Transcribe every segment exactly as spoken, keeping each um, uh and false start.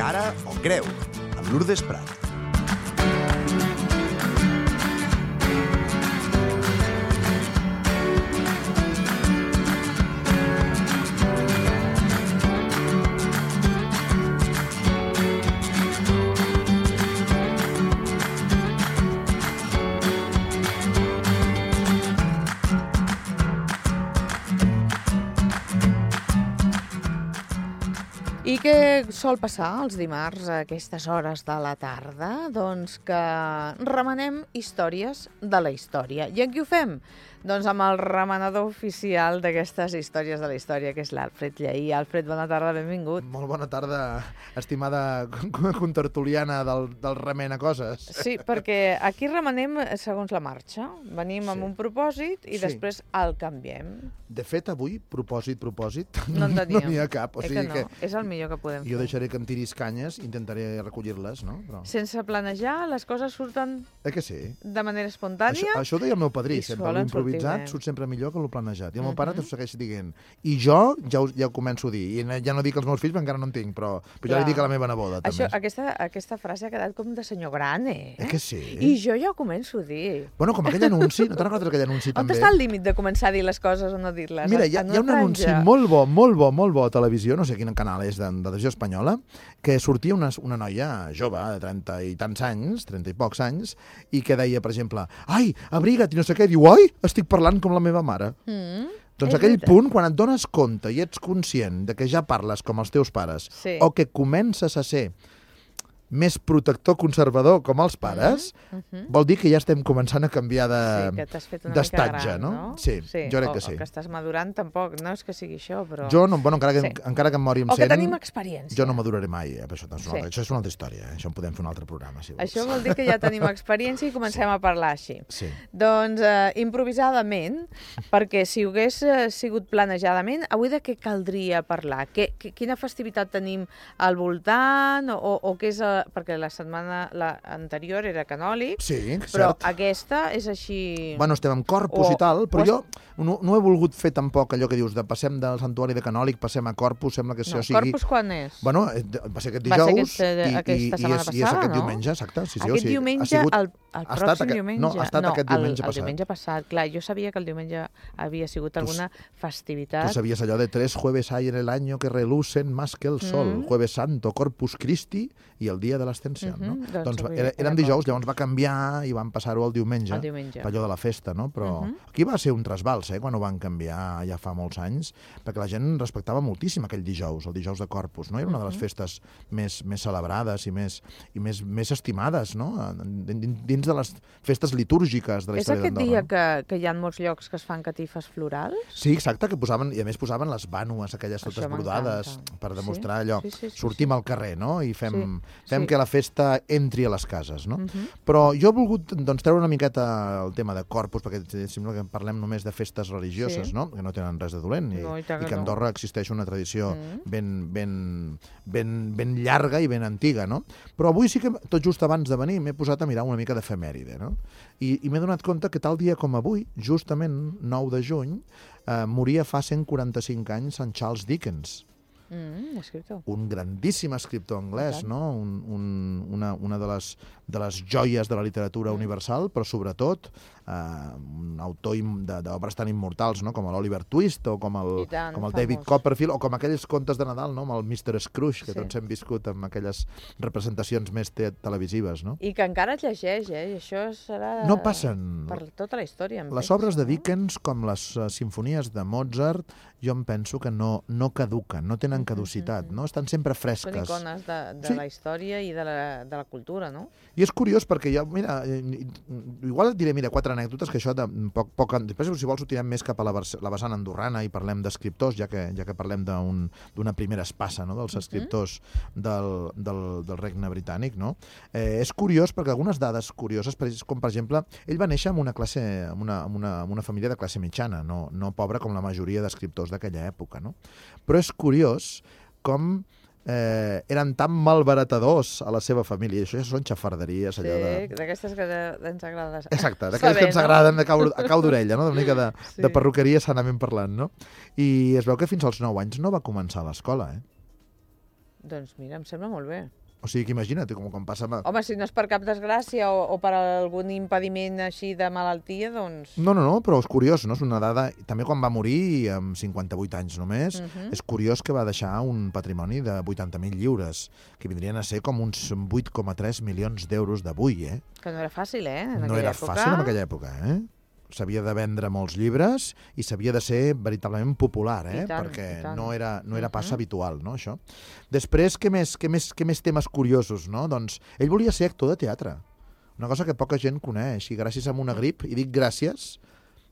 Cara o creu, amb Lourdes Prat. I què sol passar els dimarts a aquestes hores de la tarda? Doncs que remenem històries de la història. I amb qui ho fem? Doncs amb el remenador oficial d'aquestes històries de la història, que és l'Alfred Lleí. Alfred, bona tarda, benvingut. Molt bona tarda, estimada contertuliana del, del remena coses. Sí, perquè aquí remenem segons la marxa. Venim sí. amb un propòsit i sí. després el canviem. De fet, avui, propòsit, propòsit, no en no n'hi ha cap. O eh sigui que no, que és el millor que podem fer. Jo deixaré que em tiris canyes, intentaré recollir-les, no? Però... Sense planejar, les coses surten eh que sí? de manera espontània. Això, això ho deia el meu padrí, sempre l'improvisat surt sempre millor que el planejat. I el meu pare t'ho segueix dient. I jo ja ho, ja ho començo a dir. I ja no dic als meus fills, perquè encara no en tinc, però, però ja li dic a la meva neboda, també. Això, aquesta, aquesta frase ha quedat com de senyor gran, eh? Eh que sí? I jo ja ho començo a dir. Bueno, com aquell anunci, no te'n recordes aquell anunci també? On està el límit de començar a dir les coses o no dir-les? Mira, hi ha, hi ha un anunci molt bo, molt bo, molt bo a televisió, no sé quin canal és de, de televisió espanyola, que sortia una, una noia jove, de trenta i tants anys, trenta i pocs anys, i que deia, per exemple, ai, abriga't i no sé què, diu, ai, estic parlant com la meva mare. Mm, doncs aquell veritat. Punt, quan et dones compte i ets conscient de que ja parles com els teus pares, sí. o que comences a ser més protector conservador com els pares, mm -hmm. vol dir que ja estem començant a canviar de sí, d'estatge, no? no? Sí, sí, jo crec o, que sí. O que estàs madurant tampoc, no és que sigui això, però... Jo, no, bueno, encara que, sí. encara que em mori amb cent... O que tenim experiència. Jo no maduraré mai, eh? Això, sí. això és una altra història, eh? Això en podem fer un altre programa, si vols. Això vol dir que ja tenim experiència i comencem sí. a parlar així. Sí. Doncs, eh, improvisadament, perquè si ho hagués eh, sigut planejadament, avui de què caldria parlar? Que, que, quina festivitat tenim al voltant? O, o què és... Eh, perquè la setmana la anterior era canòlic, sí, però cert. aquesta és així... Bueno, estem amb Corpus o, i tal, però jo no, no he volgut fer tampoc allò que dius de passem del santuari de canòlic, passem a Corpus, sembla que això no, sigui... Corpus quan és? Bueno, va ser aquest dijous va ser aquest, i, aquesta i, setmana i, és, passada, i és aquest no? diumenge, exacte. Sí, sí, aquest o sigui, diumenge, sigut, el, el pròxim aquest, diumenge? No, ha estat no, aquest diumenge el, passat. El diumenge passat, clar, jo sabia que el diumenge havia sigut alguna tu, festivitat. Tu sabies allò de tres jueves hay en el año que relucen más que el sol, mm. Jueves Santo, Corpus Christi i el dia de l'Ascensió, mm -hmm. no? Doncs, doncs era, eren dijous, llavors va canviar i van passar-ho al diumenge, el diumenge, per allò de la festa, no? Però uh -huh. aquí va ser un trasbals, eh, quan ho van canviar ja fa molts anys, perquè la gent respectava moltíssim aquell dijous, el dijous de Corpus, no? Era una de les festes més, més celebrades i més, i més, més estimades, no? Dins de les festes litúrgiques de la història d'Andorra. És aquest dia que, que hi ha molts llocs que es fan catifes florals? Sí, exacte, que posaven, i a més posaven les vànues, aquelles totes brodades, per demostrar allò, sí, sí, sí, sí, sortim sí. al carrer, no? I fem, sí, fem sí. que la festa entri a les cases, no? Uh -huh. Però jo he volgut doncs, treure una miqueta el tema de Corpus, perquè sembla que parlem només de festes religioses, sí. no? Que no tenen res de dolent, i, no, i, i que a Andorra no. existeix una tradició mm. ben, ben, ben, ben llarga i ben antiga, no? Però avui sí que, tot just abans de venir, m'he posat a mirar una mica d'efemèride, no? I, i m'he donat compte que tal dia com avui, justament nou de juny, eh, moria fa cent quaranta-cinc anys en Charles Dickens. Mm, escriptor. Un grandíssim escriptor anglès, no? Un, un, una, una de les, de les joies de la literatura mm. universal, però sobretot eh, un autor d'obres tan immortals, no? Com l'Oliver Twist o com el, tant, com el David Copperfield o com aquells contes de Nadal, no? Amb el mister Scrooge, que sí. tots hem viscut amb aquelles representacions més te televisives, no? I que encara es llegeix, eh? I això serà... No passen... Per tota la història. Les penso, obres de Dickens, no? Com les uh, simfonies de Mozart, jo em penso que no, no caduquen, no tenen caducitat, mm -hmm. no? Estan sempre fresques. Són icones de, de sí. la història i de la, de la cultura, no? I és curiós perquè jo, mira, igual et diré, mira, quatre anècdotes que això de poc, poc, després si vols ho tirem més cap a la, la vessant andorrana i parlem d'escriptors, ja que, ja que parlem d'una un, primera espassa, no?, dels escriptors mm -hmm. del, del, del Regne Britànic, no? Eh, és curiós perquè algunes dades curioses, com per exemple, ell va néixer en una classe, en una, en una, en una família de classe mitjana, no, no pobra com la majoria d'escriptors d'aquella època, no? Però és curiós com eh, eren tan malbaratadors a la seva família. Això ja són xafarderies, allò de... Sí, d'aquestes que ens agrada. Exacte, d'aquestes que ens agraden a cau, a cau d'orella, no? Una mica de, sí. de perruqueria sanament parlant, no? I es veu que fins als nou anys no va començar l'escola, eh? Doncs mira, em sembla molt bé. O sigui que imagina't, com quan passa... Home, si no és per cap desgràcia o, o per algun impediment així de malaltia, doncs... No, no, no, però és curiós, no? És una dada... També quan va morir, amb cinquanta-vuit anys només, uh -huh. és curiós que va deixar un patrimoni de vuitanta mil lliures, que vindrien a ser com uns vuit coma tres milions d'euros d'avui, eh? Que no era fàcil, eh? En no era època. fàcil en aquella època, eh? S'havia de vendre molts llibres i s'havia de ser veritablement popular, eh? tant, perquè no era, no era pas uh-huh. habitual, no, això. Després, què més, què, més, què més temes curiosos, no? Doncs ell volia ser actor de teatre, una cosa que poca gent coneix, i gràcies a una grip, i dic gràcies,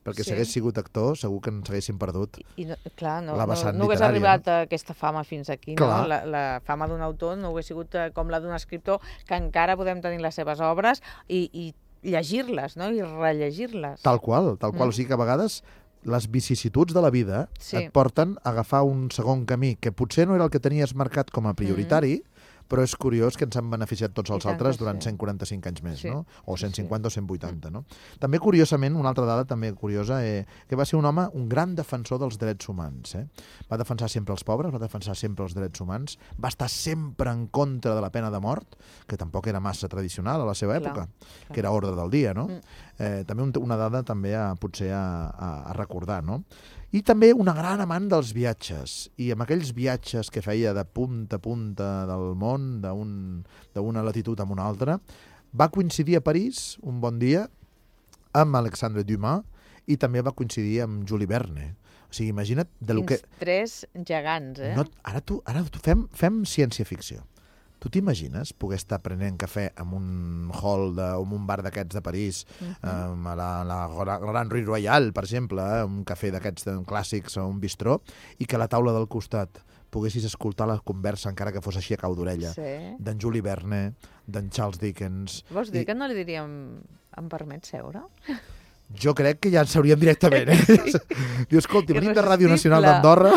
perquè sí. si hagués sigut actor segur que ens haguéssim perdut I, no, clar, no, la vessant no, no hagués literària. arribat a aquesta fama fins aquí, no? La, la fama d'un autor no hagués sigut com la d'un escriptor, que encara podem tenir les seves obres i, i llegir-les, no? I rellegir-les. Tal qual, tal qual. Mm. O sigui que a vegades les vicissituds de la vida sí. et porten a agafar un segon camí que potser no era el que tenies marcat com a prioritari, mm. però és curiós que ens han beneficiat tots els altres durant sí. cent quaranta-cinc anys més, sí. no? O cent cinquanta sí, sí. o cent vuitanta, no? També, curiosament, una altra dada també curiosa, eh, que va ser un home, un gran defensor dels drets humans, eh? Va defensar sempre els pobres, va defensar sempre els drets humans, va estar sempre en contra de la pena de mort, que tampoc era massa tradicional a la seva època, clar, clar. que era ordre del dia, no? Mm. Eh, també un, una dada també a, potser a, a, a recordar, no? I també una gran amant dels viatges, i amb aquells viatges que feia de punta a punta del món, d'una latitud a una altra, va coincidir a París un bon dia amb Alexandre Dumas i també va coincidir amb Jules Verne. O sigui, imagina't... De lo que... tres gegants, eh? No, ara tu, ara tu fem, fem ciència-ficció. Tu t'imagines poder estar prenent cafè en un hall de, o en un bar d'aquests de París, uh-huh. eh, a la, la Grand Rue Royale, per exemple, eh, un cafè d'aquests clàssics o un bistró, i que a la taula del costat poguessis escoltar la conversa, encara que fos així a cau d'orella, sí. d'en Jules Verne, d'en Charles Dickens... Vols dir i... que no li diríem em permet seure? Jo crec que ja en sabríem directament, eh? Sí. Diu, escolti, venim de Ràdio Nacional d'Andorra.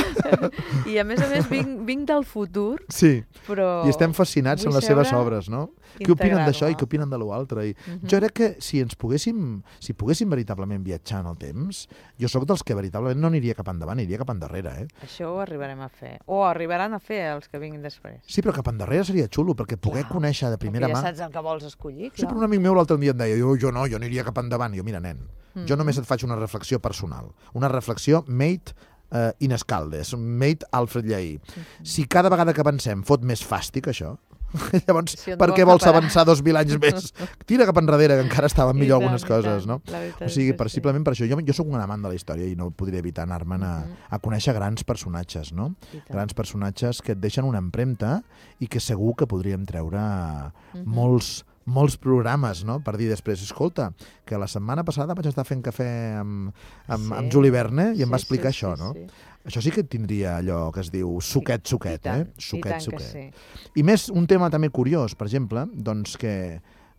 I a més a més vinc, vinc del futur, sí. però... I estem fascinats amb les seves obres, no? Què opinen d'això i què opinen de l'altre? I uh-huh. Jo crec que si ens poguéssim, si poguéssim veritablement viatjar en el temps, jo sóc dels que veritablement no aniria cap endavant, aniria cap endarrere, eh? Això ho arribarem a fer. O arribaran a fer els que vinguin després. Sí, però cap endarrere seria xulo, perquè poder clar. conèixer de primera mà... Perquè ja saps el que vols escollir, clar. Sí, però un amic meu l'altre dia em deia, jo, jo no, jo aniria cap endavant. Jo, mira, nen, mm-hmm. jo només et faig una reflexió personal. Una reflexió made uh, in Escaldes, made Alfred Lleí. Mm-hmm. Si cada vegada que avancem fot més fàstic, això... Llavors, si per què vols avançar dos mil anys més? Tira cap enrere, que encara estaven millor tant, algunes coses, no? O sigui, per, simplement per això. Jo, jo sóc un amant de la història i no podria evitar anar-me'n a, a conèixer grans personatges, no? Grans personatges que et deixen una empremta i que segur que podríem treure uh-huh. molts molts programes, no? Per dir després, escolta, que la setmana passada vaig estar fent cafè amb, amb, sí. amb Jules Verne i em sí, va explicar sí, això, sí, no? Sí. Això sí que tindria allò que es diu suquet, suquet, tant, eh? Suquet, suquet. Sí. I més, un tema també curiós, per exemple, doncs que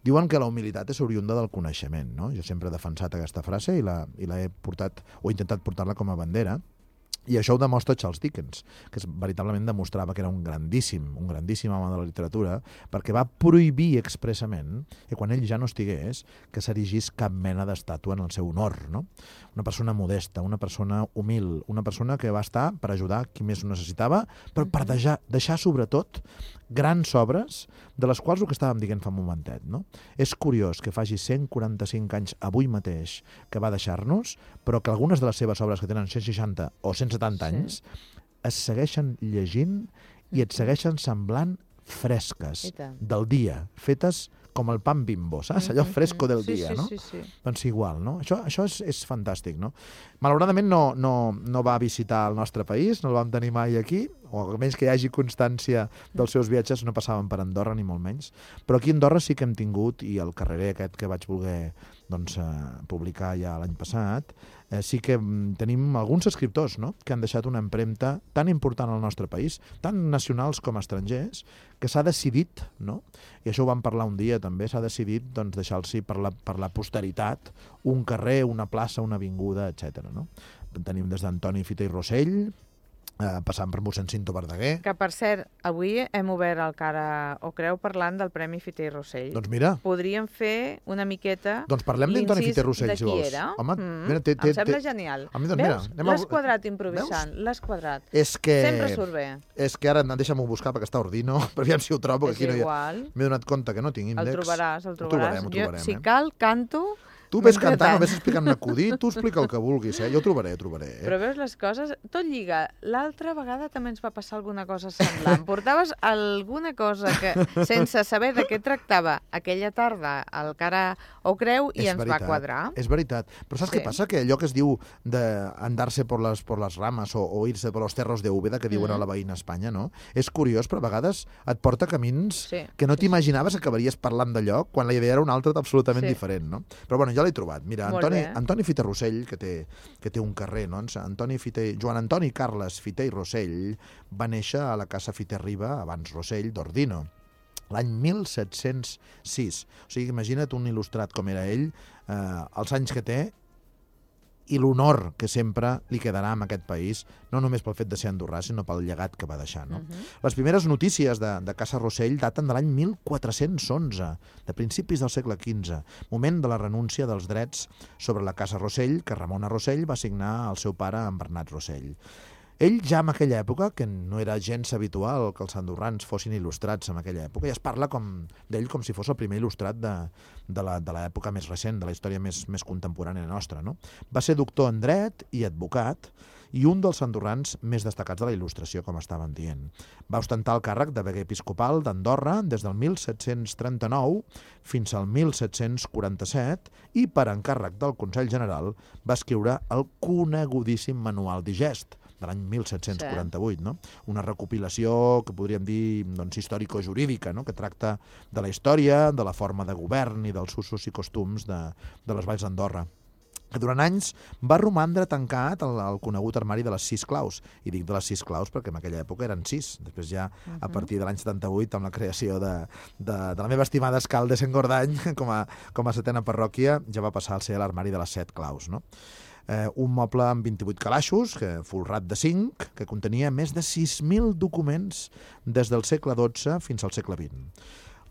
diuen que la humilitat és oriunda del coneixement, no? Jo sempre he defensat aquesta frase i la, i la he portat, o he intentat portar-la com a bandera. I això ho demostra Charles Dickens, que veritablement demostrava que era un grandíssim, un grandíssim home de la literatura, perquè va prohibir expressament que quan ell ja no estigués, que s'erigís cap mena d'estàtua en el seu honor, no? Una persona modesta, una persona humil, una persona que va estar per ajudar qui més ho necessitava, però per deixar, deixar sobretot grans obres, de les quals el que estàvem dient fa un momentet, no? És curiós que faci cent quaranta-cinc anys avui mateix que va deixar-nos, però que algunes de les seves obres que tenen cent seixanta o cent setanta sí. anys es segueixen llegint i et segueixen semblant fresques del dia, fetes com el pan Bimbo, saps? Allò fresco del sí, dia, sí, no? Sí, sí. Doncs igual, no? Això, això és, és fantàstic, no? Malauradament no, no, no va visitar el nostre país, no el vam tenir mai aquí, o almenys que hi hagi constància dels seus viatges, no passaven per Andorra ni molt menys, però aquí a Andorra sí que hem tingut, i el carrerer aquest que vaig voler doncs, eh, publicar ja l'any passat, eh, sí que mm, tenim alguns escriptors, no?, que han deixat una empremta tan important al nostre país, tant nacionals com estrangers, que s'ha decidit, no?, i això ho vam parlar un dia també, s'ha decidit doncs, deixar-los per, la, per la posteritat un carrer, una plaça, una avinguda, etcètera. No? Tenim des d'Antoni Fita i Rossell, eh, passant per mossèn Cinto Verdaguer. Que, per cert, avui hem obert el Cara o Creu parlant del Premi Fiter i Rossell. Doncs mira. Podríem fer una miqueta doncs parlem d'Antoni Fiter i Rossell, si vols. Era. Home, mm, mira, té, té, em sembla té... genial. A mi, doncs, Veus? mira, L'has quadrat improvisant, l'has quadrat. És que... Sempre surt bé. És que ara deixa'm-ho buscar perquè està ordino, però aviam si ho trobo, que aquí no hi ha... M'he donat compte que no tinc índex. El trobaràs, el trobaràs. Ho trobarem, ho trobarem, jo, si eh? cal, canto... Tu ves cantant o ves explicant un acudit, tu explica el que vulguis, eh? Jo ho trobaré, ho trobaré. Eh? Però veus les coses, tot lliga. L'altra vegada també ens va passar alguna cosa semblant. Portaves alguna cosa que, sense saber de què tractava aquella tarda al Cara o Creu i és ens veritat, va quadrar. És veritat. Però saps sí. què passa? Que allò que es diu d'andar-se por les, por les rames o, o irse por los cerros de Úbeda, que diuen mm. a la veïna Espanya, no? És curiós, però a vegades et porta camins sí. que no t'imaginaves que acabaries parlant d'allò quan la idea era una altra absolutament sí. diferent, no? Però bueno, ja l'he trobat. Mira, Antoni, Antoni Fiter Rossell, que té, que té un carrer, no? Antoni Fiter, Joan Antoni Carles Fiter i Rossell va néixer a la casa Fiter Riba, abans Rossell, d'Ordino, l'any mil set-cents sis. O sigui, imagina't un il·lustrat com era ell, eh, els anys que té, i l'honor que sempre li quedarà en aquest país, no només pel fet de ser andorrà, sinó pel llegat que va deixar. No? Uh-huh. Les primeres notícies de, de Casa Rossell daten de l'any mil quatre-cents onze, de principis del segle quinze, moment de la renúncia dels drets sobre la Casa Rossell que Ramona Rossell va signar al seu pare, en Bernat Rossell. Ell ja en aquella època, que no era gens habitual que els andorrans fossin il·lustrats en aquella època, ja es parla com d'ell com si fos el primer il·lustrat de, de l'època més recent, de la història més, més contemporània nostra. No? Va ser doctor en dret i advocat i un dels andorrans més destacats de la il·lustració, com estàvem dient. Va ostentar el càrrec de veguer episcopal d'Andorra des del mil set-cents trenta-nou fins al mil set-cents quaranta-set i per encàrrec del Consell General va escriure el conegudíssim Manual Digest, de l'any mil set-cents quaranta-vuit, no? Una recopilació que podríem dir doncs, històrico-jurídica, no? Que tracta de la història, de la forma de govern i dels usos i costums de, de les valls d'Andorra, que durant anys va romandre tancat al, al conegut armari de les sis claus. I dic de les sis claus perquè en aquella època eren sis. Després ja, uh-huh. a partir de l'any setanta-vuit, amb la creació de, de, de la meva estimada Escal de Sengordany, com a, com a setena parròquia, ja va passar a ser l'armari de les set claus, no? Eh, un moble amb vint-i-vuit calaixos, que, folrat de zinc, que contenia més de sis mil documents des del segle dotze fins al segle vint.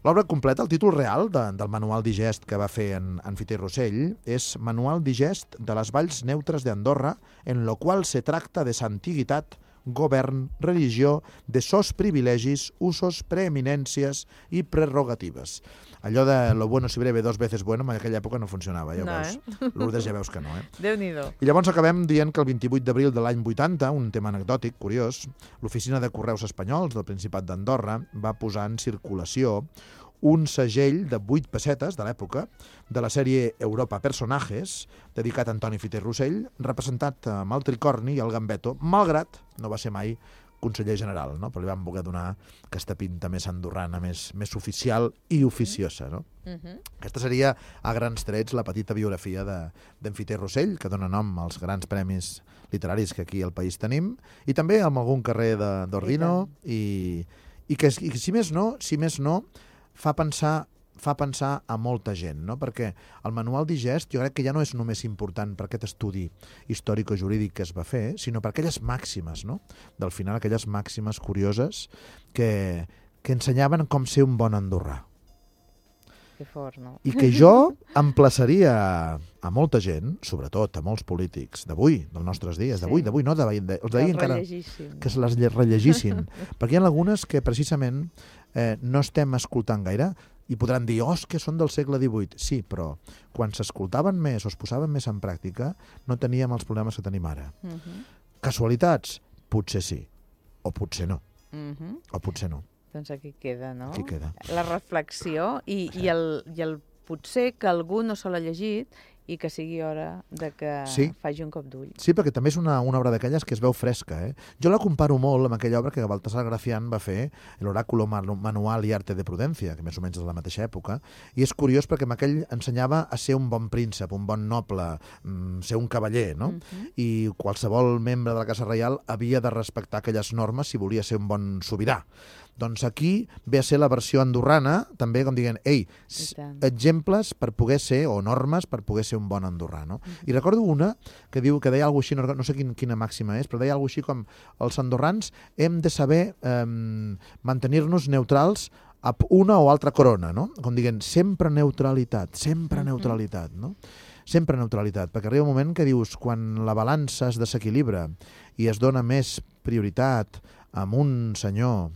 L'obra completa, el títol real de, del Manual Digest que va fer en, en Fiter Rossell, és Manual Digest de les valls neutres d'Andorra, en lo qual se tracta de s'antiguitat, govern, religió, de sos privilegis, usos, preeminències i prerrogatives. Allò de lo bueno si breve dos veces bueno, en aquella època no funcionava, ja ho no, veus. Eh? Lourdes ja veus que no, eh? Déu-n'hi-do. I llavors acabem dient que el vint-i-vuit d'abril de l'any vuitanta, un tema anecdòtic, curiós, l'Oficina de Correus Espanyols del Principat d'Andorra va posar en circulació un segell de vuit pessetes de l'època de la sèrie Europa Personajes, dedicat a Antoni Fiter Rossell, representat amb el tricorni i el gambeto, malgrat no va ser mai conseller general, no? Però li van voler donar aquesta pinta més andorrana, més, més oficial i oficiosa. No? Uh-huh. Aquesta seria, a grans trets, la petita biografia d'en Fiter Rossell, que dona nom als grans premis literaris que aquí al país tenim, i també amb algun carrer d'Ordino, i, i que, i, si més no, si més no, fa pensar fa pensar a molta gent, no? Perquè el Manual Digest jo crec que ja no és només important per aquest estudi històrico-jurídic que es va fer, sinó per aquelles màximes, no? Del final, aquelles màximes curioses que, que ensenyaven com ser un bon andorrà. Que fort, no? I que jo emplaçaria a molta gent, sobretot a molts polítics d'avui, dels nostres dies, d'avui, sí. d'avui, no d'ahir, de, els d'ahir encara, que se les rellegissin, perquè hi ha algunes que precisament eh, no estem escoltant gaire, i podran dir, oh, que són del segle divuit. Sí, però quan s'escoltaven més o es posaven més en pràctica, no teníem els problemes que tenim ara. Uh-huh. Casualitats? Potser sí. O potser no. Uh-huh. O potser no. Doncs aquí queda, no? Aquí queda. La reflexió i, sí. i, el, i el potser que algú no se l'ha llegit i que sigui hora de que sí. faci un cop d'ull. Sí, perquè també és una, una obra d'aquelles que es veu fresca. Eh? Jo la comparo molt amb aquella obra que Baltasar Gracián va fer, l'Oráculo Manual y Arte de Prudencia, que més o menys és de la mateixa època, i és curiós perquè amb aquell ensenyava a ser un bon príncep, un bon noble, ser un cavaller, no? Uh-huh. I qualsevol membre de la Casa Reial havia de respectar aquelles normes si volia ser un bon sobirà. Doncs aquí ve a ser la versió andorrana, també com dient, ei, exemples per poder ser, o normes per poder ser un bon andorrà, no? Uh-huh. I recordo una que diu, que deia alguna així, no, no sé quin, quina màxima és, però deia alguna així com els andorrans hem de saber eh, mantenir-nos neutrals a una o altra corona, no? Com dient, sempre neutralitat, sempre uh-huh. neutralitat, no? Sempre neutralitat, perquè arriba un moment que dius, quan la balança es desequilibra i es dona més prioritat a un senyor,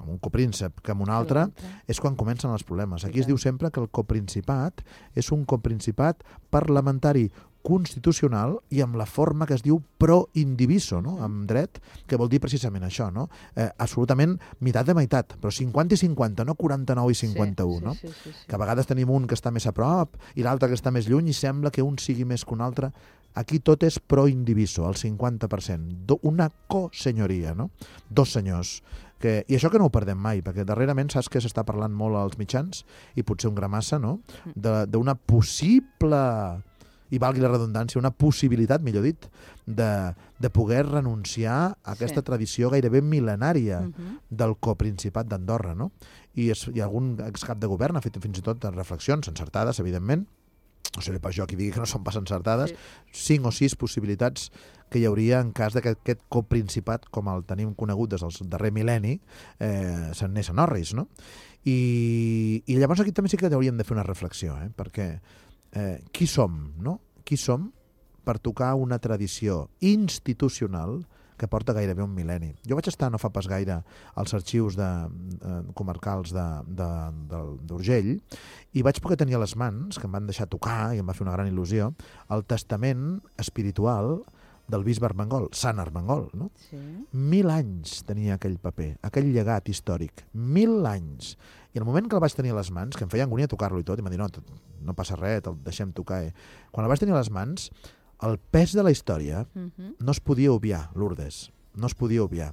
a un copríncep, que a un altre, és quan comencen els problemes. Aquí es diu sempre que el coprincipat és un coprincipat parlamentari constitucional i amb la forma que es diu pro indiviso, no? Amb dret, que vol dir precisament això, no? Eh, absolutament meitat de meitat, però cinquanta i cinquanta, no quaranta-nou i cinquanta-u, sí, no? Sí, sí, sí, sí. Que a vegades tenim un que està més a prop i l'altre que està més lluny i sembla que un sigui més que un altre. Aquí tot és pro indiviso, el cinquanta per cent. Una cosenyoria, no? Dos senyors. Que, i això que no ho perdem mai, perquè darrerament saps que s'està parlant molt als mitjans, i potser un gra massa, no? D'una possible, i valgui la redundància, una possibilitat, millor dit, de, de poder renunciar a aquesta sí. tradició gairebé mil·lenària uh-huh. del coprincipat d'Andorra, no? I, es, i algun excap de govern ha fet fins i tot reflexions encertades, evidentment, no seré pas jo qui digui que no són pas encertades, sí. cinc o sis possibilitats que hi hauria en cas que aquest coprincipat, com el tenim conegut des del darrer mil·lenni, eh, se'n anés a Norris, no? I, I llavors aquí també sí que hauríem de fer una reflexió, eh? Perquè eh, qui som, no? Qui som per tocar una tradició institucional que porta gairebé un mil·lenni. Jo vaig estar no fa pas gaire als arxius de, eh, comarcals d'Urgell i vaig poder tenir a les mans, que em van deixar tocar i em va fer una gran il·lusió, el testament espiritual del bisbe Armengol, Sant Armengol, no? Sí. Mil anys tenia aquell paper, aquell llegat històric, mil anys. I el moment que el vaig tenir a les mans, que em feia angúnia tocar-lo i tot, i em va dir, no, no passa res, el deixem tocar. Eh? Quan el vaig tenir a les mans, el pes de la història uh-huh. no es podia obviar, Lourdes, no es podia obviar.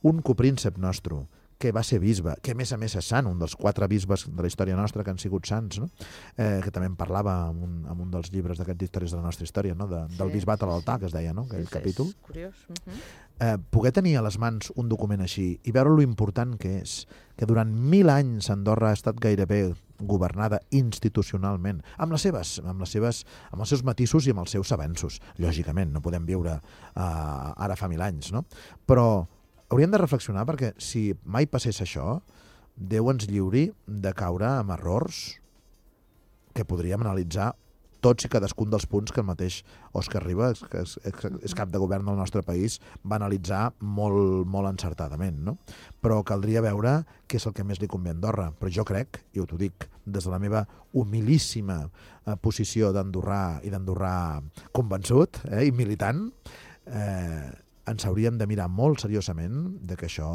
Un copríncep nostre, que va ser bisbe, que a més a més és sant, un dels quatre bisbes de la història nostra que han sigut sants, no? eh, que també en parlava en un, en un dels llibres d'aquestes històries de la nostra història, no? de, sí, del bisbat a l'altar, que es deia, no? Aquell sí, capítol. És curiós. Uh-huh. eh, poder tenir a les mans un document així i veure lo important que és, que durant mil anys Andorra ha estat gairebé governada institucionalment, amb les seves, amb les seves, amb els seus matisos i amb els seus avenços. Lògicament, no podem viure uh, ara fa mil anys, no? Però hauríem de reflexionar perquè si mai passés això, Déu ens lliuri de caure amb errors que podríem analitzar tots i cadascun dels punts que el mateix Òscar Ribas, que és, és cap de govern del nostre país, va analitzar molt, molt encertadament, no? Però caldria veure què és el que més li convé a Andorra. Però jo crec, i ho t'ho dic des de la meva humilíssima eh, posició d'andorrà i d'andorrà convençut eh, i militant, eh, ens hauríem de mirar molt seriosament de que això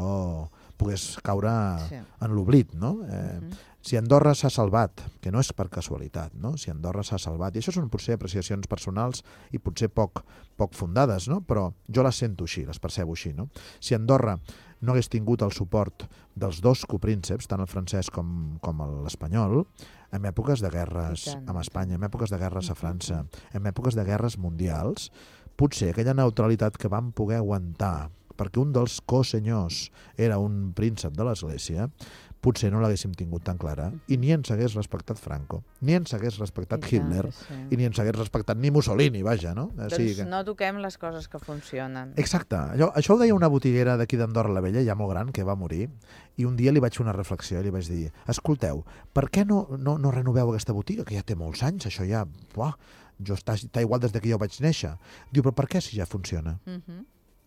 pogués caure sí. en l'oblit, no? Eh, uh-huh. Si Andorra s'ha salvat, que no és per casualitat, no? Si Andorra s'ha salvat, i això són potser apreciacions personals i potser poc, poc fundades, no? Però jo les sento així, les percebo així, no? Si Andorra no hagués tingut el suport dels dos coprínceps, tant el francès com, com l'espanyol, en èpoques de guerres amb Espanya, en èpoques de guerres a França, en èpoques de guerres mundials, potser aquella neutralitat que vam poder aguantar perquè un dels cosenyors era un príncep de l'Església, potser no l'haguéssim tingut tan clara i ni ens hagués respectat Franco, ni ens hagués respectat I Hitler, sí. i ni ens hagués respectat ni Mussolini, vaja, no? Doncs sí, que... no toquem les coses que funcionen. Exacte. Allò, això ho deia una botiguera d'aquí d'Andorra la Vella, ja molt gran, que va morir, i un dia li vaig fer una reflexió i li vaig dir, escolteu, per què no, no, no renoveu aquesta botiga, que ja té molts anys, això ja... Buah, jo està, està igual des que jo vaig néixer. Diu, però per què si ja funciona? Uh-huh.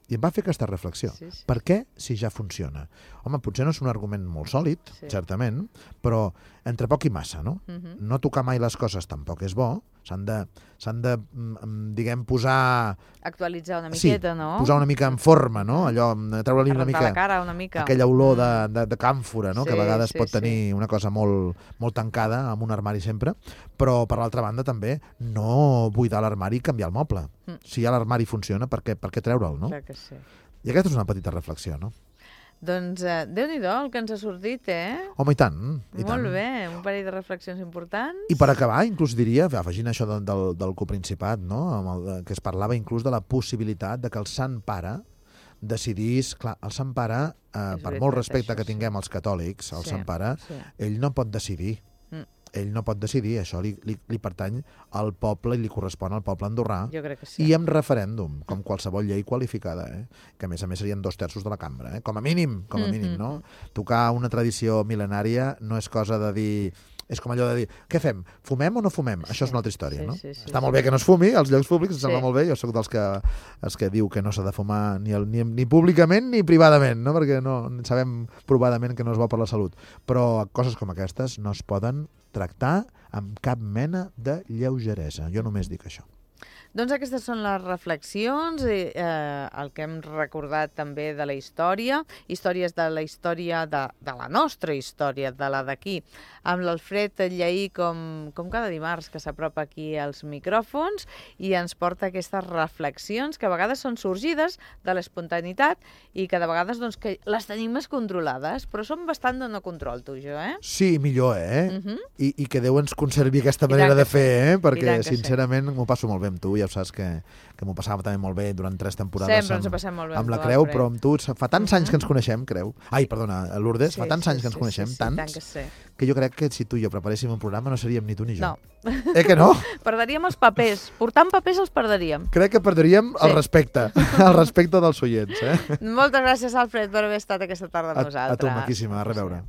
I em va fer aquesta reflexió. Sí, sí. Per què si ja funciona? Home, potser no és un argument molt sòlid, sí. certament, però entre poc i massa, no? Uh-huh. No tocar mai les coses tampoc és bo. S'han de, s'han de, diguem, posar... Actualitzar una miqueta, sí, no? posar una mica en forma, no? Allò, treure-li una mica... la cara una mica. Aquella olor de, de, de càmfora, no? Sí, que a vegades sí, pot tenir sí. una cosa molt, molt tancada amb un armari sempre, però per l'altra banda també no buidar l'armari i canviar el moble. Mm. Si ja l'armari funciona, per què, per què treure'l, no? Clar que sí. I aquesta és una petita reflexió, no? Doncs eh, Déu-n'hi-do el que ens ha sortit, eh? Home, i tant. I Molt tant. bé, un parell de reflexions importants. I per acabar, inclús diria, afegint això del, del, del coprincipat, no? Amb el, que es parlava inclús de la possibilitat de que el Sant Pare decidís... Clar, el Sant Pare, eh, per molt respecte que tinguem als catòlics, el Sant Pare, ell no pot decidir. Ell no pot decidir, això li, li, li pertany al poble i li correspon al poble andorrà. Jo crec que sí. I amb referèndum, com qualsevol llei qualificada, eh? Que a més a més serien dos terços de la cambra, eh? Com a mínim, com a mínim, no? Tocar una tradició mil·lenària no és cosa de dir... És com allò de dir, què fem? Fumem o no fumem? Això és una altra història, no? Sí, sí, sí, Està molt bé que no es fumi, als llocs públics, em sí. sembla molt bé. Jo soc dels que, els que diu que no s'ha de fumar ni, el, ni, ni públicament ni privadament, no? Perquè no, sabem provadament que no és bo per la salut. Però coses com aquestes no es poden tractar amb cap mena de lleugeresa. Jo només dic això. Doncs aquestes són les reflexions, i, eh, el que hem recordat també de la història, històries de la història, de, de la nostra història, de la d'aquí, amb l'Alfred Lleí com, com cada dimarts que s'apropa aquí als micròfons i ens porta aquestes reflexions que a vegades són sorgides de l'espontaneïtat i que de vegades doncs, que les tenim més controlades, però són bastant de no control, tu, jo, eh? Sí, millor, eh? Uh -huh. I, I que Déu ens conservi aquesta manera de fer, eh? Perquè, sincerament, sí. m'ho passo molt bé amb tu, ja ho saps que, que m'ho passava també molt bé durant tres temporades Sempre amb, ens ho passem molt bé amb amb la tu, Creu, Alfred. però amb tu fa tants anys que ens coneixem, Creu. Ai, perdona, Lourdes, sí, fa tants sí, anys que ens sí, coneixem, sí, sí, tants, tant que, sí. que jo crec que si tu i jo preparéssim un programa no seríem ni tu ni jo. No. Eh que no? Perdríem els papers. Portant papers els perdríem. Crec que perdríem sí. el respecte, el respecte dels oients. Eh? Moltes gràcies, Alfred, per haver estat aquesta tarda amb a, nosaltres. A tu, maquíssima, a reveure.